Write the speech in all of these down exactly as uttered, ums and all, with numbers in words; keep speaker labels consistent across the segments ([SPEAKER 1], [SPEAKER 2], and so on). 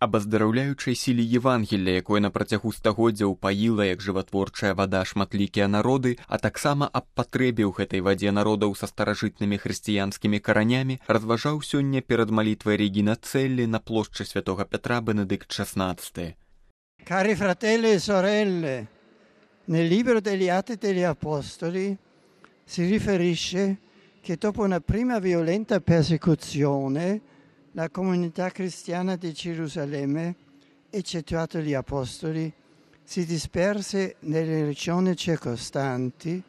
[SPEAKER 1] аб аздараўляючай сіле Євангелля, якое на працягу стагоддзяў паіла як жыватворчая вада шматлікія народы, а таксама аб патрэбе ў гэтай вадзе народаў са старажытнымі хрысціянскімі каранямі, разважаў сёння перад малітвай Регіна Целлі на плошчы святога Петра Бенедикт шестнадцатый.
[SPEAKER 2] Cari fratelli e sorelle, nel libro degli Atti degli Apostoli si riferisce che dopo una prima violenta persecuzione la comunità cristiana di Gerusalemme, eccettuato gli apostoli, si disperse nelle regioni circostanti.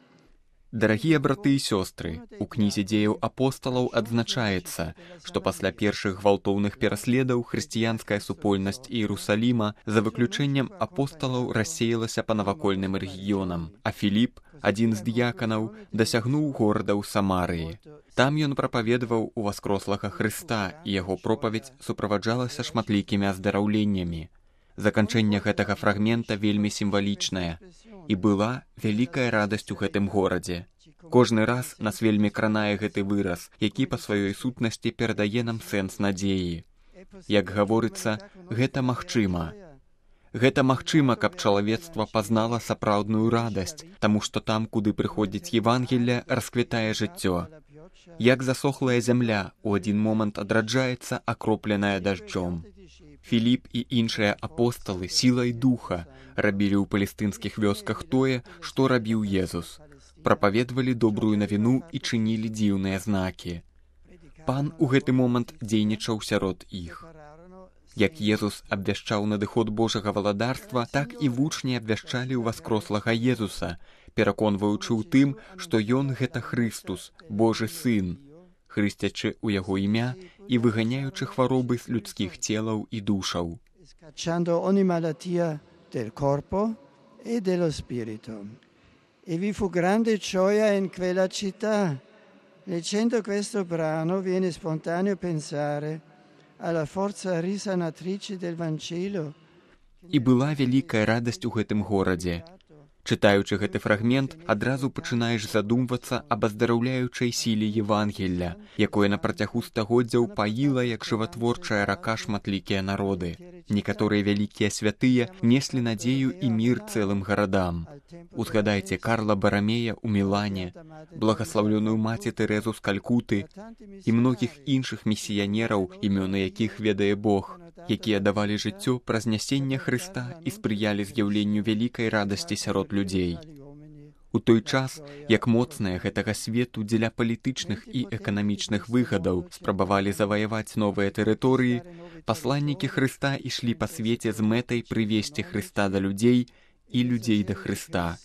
[SPEAKER 1] Дарагія браты і сёстры, у кнізе дзеяў апосталаў адзначаецца, што пасля першых гвалтоўных пераследаў хрысціянская супольнасць Іерусаліма за выключэннем апосталаў рассеялася па навакольным рэгіёнам, а Філіп, адзін з дыяканаў, дасягнуў горадаў Самарыі. Там ён прапаведаваў у васкрослага Хрыста, і яго пропаведь суправаджалася шматлікімі аздараўленнямі. Заканчэнне гэтага фрагмента вельмі сімвалічнае. І была вялікая радасць у гэтым горадзе. Кожны раз нас вельмі кранае гэты выраз, які па сваёй сутнасці перадае нам сэнс надзеі. Як гаворыцца, гэта магчыма. Гэта магчыма, каб чалавецтва пазнала сапраўдную радасць, таму што там, куды прыходзіць Євангелле, расквітае жыццё. Як засохлая зямля у адзін момант адраджаецца, акропленая дажджом. Філіп і іншыя апосталы сілай духа рабілі ў палестынскіх вёсках тое, што рабіў Езус. Прапаведвалі добрую навіну і чынілі дзіўныя знакі. Пан у гэты момант дзейнічаў сярод іх. Як Езус абвяшчаў надыход Божага валадарства, так і вучні абвяшчалі ў васкрослага Езуса, пераконваючы ў тым, што ён гэта Хрыстус, Божы сын, хрысцячы ў яго імя і выганяючы хваробы з людскіх целаў і душаў.
[SPEAKER 2] Del corpo e dello spirito. E vi fu grande gioia in quella città. Leggendo questo brano viene spontaneo pensare alla forza risanatrice del Vangelo.
[SPEAKER 1] І была вялікая радасць у гэтым горадзе. Чытаючы гэты фрагмент, адразу пачынаеш задумвацца аб аздараўляючай сіле Євангелля, якое на працягу стагоддзяў паіла як жыватворчая рака шматлікія народы. Некаторыя вялікія святыя неслі надзею і мір цэлым гарадам. Узгадайце Карла Барамея ў Мілане, благаслаўлёную маці Тэрэзу з Калькуты і многіх іншых місіянераў, імёны якіх ведае Бог, якія давалі жыццё праз нясенне Хрыста і спрыялі з'яўленню вялікай радасці сярод людзей. У той час, як моцныя гэтага свету дзеля палітычных і эканамічных выгадаў спрабавалі заваяваць новыя тэрыторыі, пасланнікі Хрыста ішлі па свеце з мэтай прывесці Хрыста да людзей і людзей да Хрыста,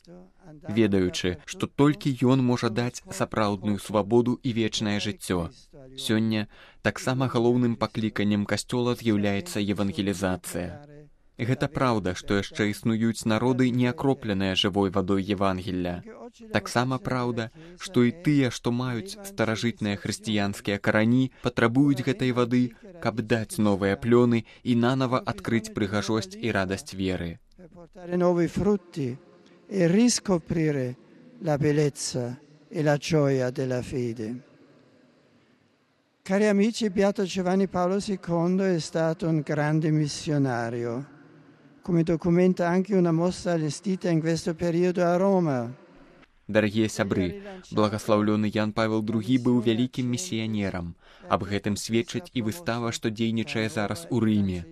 [SPEAKER 1] ведаючы, што толькі ён можа даць сапраўдную свабоду і вечнае жыццё. Сёння таксама галоўным пакліканнем касцёла з'яўляецца евангелізацыя. Гэта праўда, што яшчэ існуюць народы, не акропленыя жывой вадой Євангелля. Таксама праўда, што і тыя, што маюць старажытныя хрысціянскія карані, патрабуюць гэтай вады, каб даць новыя плёны і нанава адкрыць прыгажосць і радасць веры.
[SPEAKER 2] E riscoprire la bellezza e la gioia della fede. Cari amici, Beato Giovanni Paolo secondo è stato un grande missionario, come documenta anche una mostra allestita in questo periodo a Roma.
[SPEAKER 1] Дарагія сябры, благаслаўлёны Ян Павел другі быў вялікім місіянерам. Аб гэтым сведчыць і выстава, што дзейнічае зараз у Рыме.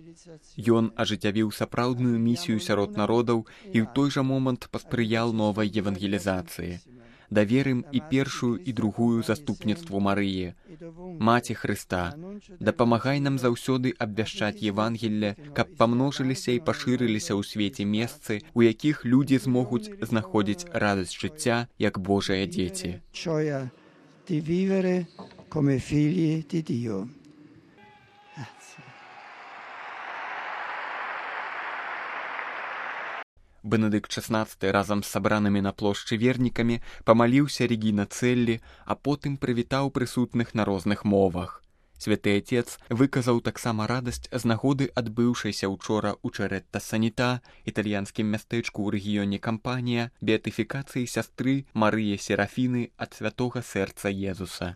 [SPEAKER 1] Ён ажыццявіў сапраўдную місію сярод народаў і ў той жа момант паспрыял новай евангелізацыі. Даверым і першую і другую заступніцтву Марыі, Маці Хрыста, дапамагай нам заўсёды абвяшчаць Євангелле, каб памножыліся і пашырыліся ў свеце месцы, у якіх людзі змогуць знаходзіць радасць жыцця як Божыя дзеці.
[SPEAKER 2] Gioia di vivere come figli di Dio.
[SPEAKER 1] Бенедикт шестнадцатый разам з сабранымі на плошчы вернікамі памаліўся Регіна Целлі, а потым прывітаў прысутных на розных мовах. Святы Отец выказаў таксама радасць з нагоды адбыўшайся учора ў Чэрэтта-Санітà, італьянскім мястэчку ў рэгіёне Кампанія, беатыфікацыі сястры Марыі Серафіны ад святога сэрца Езуса.